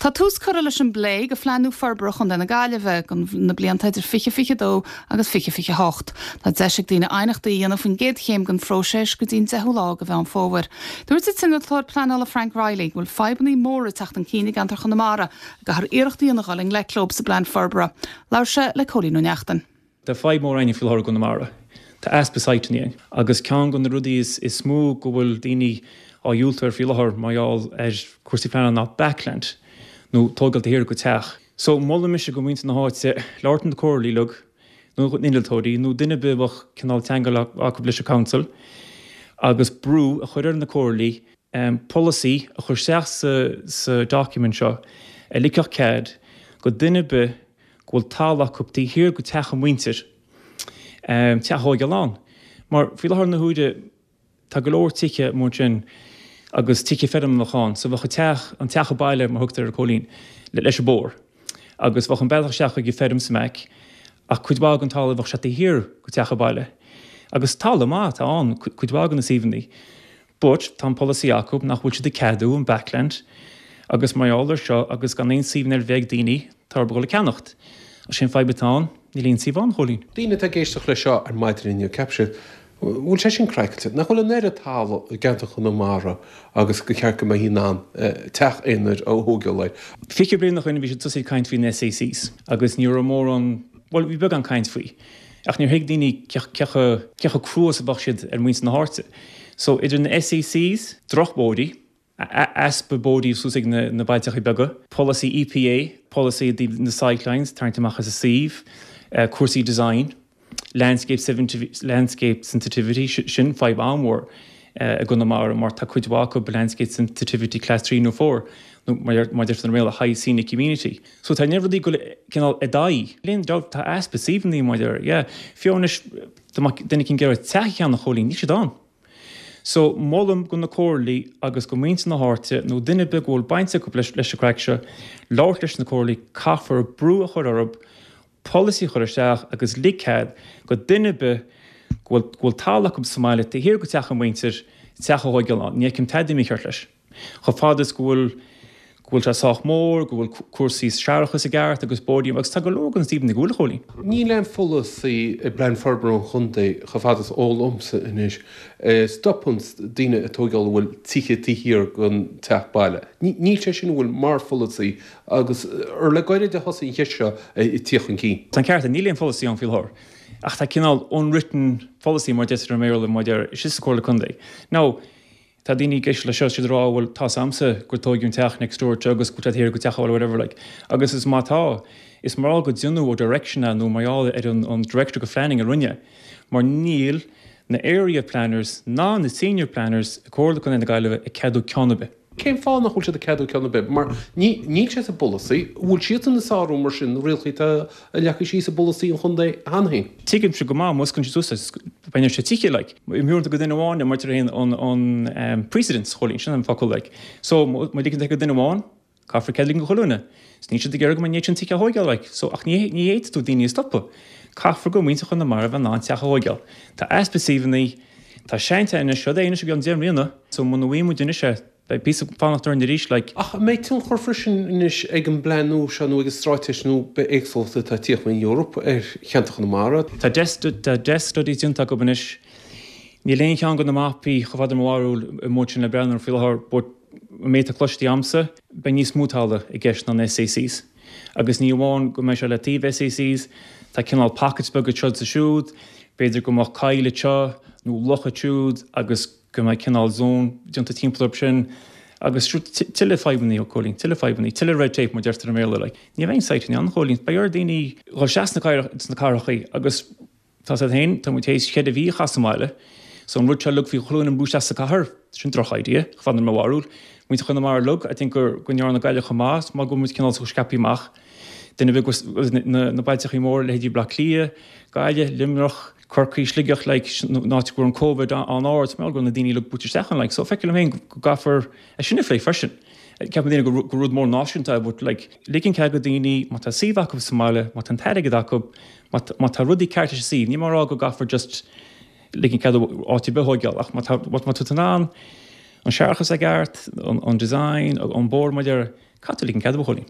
Tá tús curtha leis an bplé go Phlean nua Forbartha Chontae na Gaillimhe do na blianta idir 2022 agus 2028. Tá deis ag daoine aighneachtaí a dhéanamh faoin gcéad chéim den phróiseas go dtí an 10ú lá de Mheán Fómhair. Dúirt an t-innealtóir pleanála Frank Reilly go bhfuil fadhbanna móra ag teacht chun cinn i gceantar Chonamara a gcaithfear iarracht a dhéanamh dhul i ngleic leo sa bplean forbartha. Labhair sé le Cóilín Ó Neachtain. Tá fadhb mór againn faoi láthair i gConamara. Tá easpa siteanna ann. Agus ceann de na rudaí is mó go bhfuil daoine á dhiúltú air faoi láthair mar gheall ar chúrsaí pleanála ná backland, nó tógáil taobh thiar de teach. So, molaim mise go muintir na háite labhairt na comhairlí uilig, nó na innealtóirí, nó duine ar bith a bheadh cineál teagmháil acu leis an council, agus brú a chur ar na comhairlí polasaí a chur isteach sa document seo a ligfeadh cead go duine ar bith go bhfuil talamh acu taobh thiar go teach a muintir, teach a thóigeáil ann. Mar faoi láthair na huaire tá go leor tithe amuigh ansin agus tithe feirme a bheadh ann so bheadh an teach, an teach baile mar thugtar air Cóilín, leis an bóthar agus bheadh an bealach isteach chuig an feirm sa mbaic ach cuid mhaith den talamh bheadh sé taobh thiar go teach baile agus talamh maith atá ann cuid mhaith de na suíomhanna. But tá an polasaí acu nach bhfuil siad ag ceadú an backland agus mar gheall ar seo agus gan aon suíomhanna ar bith ag daoine, tá orthu dul ag ceannacht. Agus sé an fadhb atá ann, níl aon suíomh ann, Chóilín. Daoine atá ag éisteacht leis seo ar maidin inniu, ceapfaidh siad, bhfuil sé sin craiceáilte? Nach bhfuil an oiread talamh i gceantar Chonamara agus gur cheart go mbeifí in ann teach aonair a thógáil air? 20 bliain ó shoin bhí siad tosaithe ag caint faoi na SACs agus ní raibh mórán, bhuel bhí beagán caint faoi. Ach níor thuig daoine cé chomh crua is a bheadh siad ar mhuintir na háite. So, idir na SACs, drochbhóithrí, easpa bóithrí suas ag na bailteachaí beaga, polasaí EPA, polasaí i dtaobh na sightlines, tarraingt amach as an suíomh, cúrsaí design, landscape landscape sensitivity, sin fadhb an-mhór i gConamara mar tá cuid mhaith acu landscape sensitivity class 3 nó 4, nó mar a deirtear i mBéarla high scenic amenity. So tá na rudaí go cineál i d'aghaidh. Níl aon dabht tá easpa suíomhanna mar deir, yeah. Fiú anois dá mbeadh duine éicint ag iarraidh teach a cheannach Chóilín, níl siad ann. So molaim go na comhairlí agus go muintir na háite nó duine ar bith go bhfuil baint acu leis leis an craic seo, labhairt leis na comhairlí, caithfear brú a chur orthu, polasaí a chur isteach agus lig cead go duine ar bith go bhfuil go bhfuil talamh acu sa mbaile taobh thiar go teach a muintir, teach a thóigeáil ann. Ní fheicim tada mícheart leis. Chomh fada is go bhfuil, go bhfuil sé sách mór, go bhfuil cúrsaí séarachais i gceart agus bóithrí, agus tá go leor den suíomhanna go bhfuil, a Chóilín. Níl aon pholasaí i bPlean Forbartha an Chontae, chomh fada is eol dhomsa anois, a stopanns daoine ag tóigeáil a bhfuil tithe taobh thiar den teach baile. Níl sé sin, an bhfuil, mar pholasaí agus ar le gairid a thosaigh an cheist seo ag tíocht chun cinn. Tá an ceart agat, níl aon pholasaí ann faoi láthair. Ach tá cineál unwritten policy mar deirtear i mBéarla maidir istigh sa Chomhairle Contae. Now, Tá daoine ag éisteacht leis seo, siad ag rá bhuel tá's a'msa gur tóigeadh an teach next door to agus go bhfuil sé thiar go teach eile whatever like. Agus is má tá, is mar gheall go deineadh ó direction é nó mar gheall ar an an director go phlanning a rinne mar níl na area planners ná na senior planners i Comhairle Contae na Gaillimhe ag ceadú ceann ar bith. Cén fáth nach bhfuil siad ag ceadú ceann ar bith? Mar ní níl sé sa bpolasaí. An bhfuil siadsan ag sárú mar sin na rialacha atá leagtha síos i bpolasaí an chontae cheana féin? Tuigimse go maith, má osclaíonn siad suas beidh sé tithe like. Imtheorann go duine amháin mar deir an an precedence, Chóilín, sin an focal like. So má ligeann tú go duine amháin, caithfear cead a ligean go chuile dhuine. So níl siad ag iarraidh go mbeidh an méid sin tithe á thóigeáil like. So ach ní ní fhéadfaidh tú daoine a stopadh. Caithfear go muintir Chonamara bheith in ann teach a thóigeáil. Tá easpa suíomhanna, tá seantithe anois, rud é anois a bhí ann 10 mbliana. So muna bhfaighidh muid anois é, beidh píosa fanacht orainn arís like. Ach an mbeidh tionchar freisin anois ag an bplean nua seo nó ag an straitéis nua bithéagsúlachta atá ag tíocht ón Eoraip ar cheantar Chonamara? Tá tá desk studies déanta acu anois. Níl aon cheann de na mapaí chomh fada le mo bharúil amuigh ansin le breathnú air faoi láthair but an méid atá cloiste a'msa, beidh níos mó talamh i gceist ná na SACs. Agus ní amháin go mbeidh sé le taobh SACs, tá cineál pockets beaga anseo is ansiúd, b'fhéidir go mbeadh coill anseo nó loch ansiúd agus go mbeidh cineál zone déanta timpeall orthu sin agus tuilleadh fadhbanna, a Chóilín, tuilleadh fadhbanna, tuilleadh red tape mar deirtear i mBéarla like. Ní bheidh aon site ann, a Chóilín, beidh ar daoine dhul isteach sna cathrachaí agus Tá's agat féin, tá muid théis cheithre mhí a chaitheamh sa mbaile, so an rud seo uilig faoi chuile dhuine ag brú isteach sa cathair, sin droch idea, chomh fada le mo bharúil. Muintir Chonamara uilig, I think gur, go ndearna Gaillimh chomh maith, mar go bhfuil muid cineál scaipthe amach. Duine ar bith go, na, na bailteachaí móra, leithéidí Bleá Cliath, Gaillimh, Luimneach, Corcaigh, Sligeach, like, an áit go raibh an Covid an-ard, mar go raibh na daoine uilig brúite isteach ann, like, so feictear liom féin go gcaithfear é sin a phlé freisin. Ceapann daoine gur, gur rud mór náisiúnta é, but like, ligean cead go daoine, má tá suíomh acu sa mbaile, má tá an t-airgead acu, Má tá rudaí ceart leis an suíomh, níl mé ag rá go gcaithfear just ligean cead áit ar bith a thóigeáil ach má tá má tá tú in ann an séarachas i gceart, an design, an bóthar mar a deir, Caithfidh tú ligean cead, a Chóilín.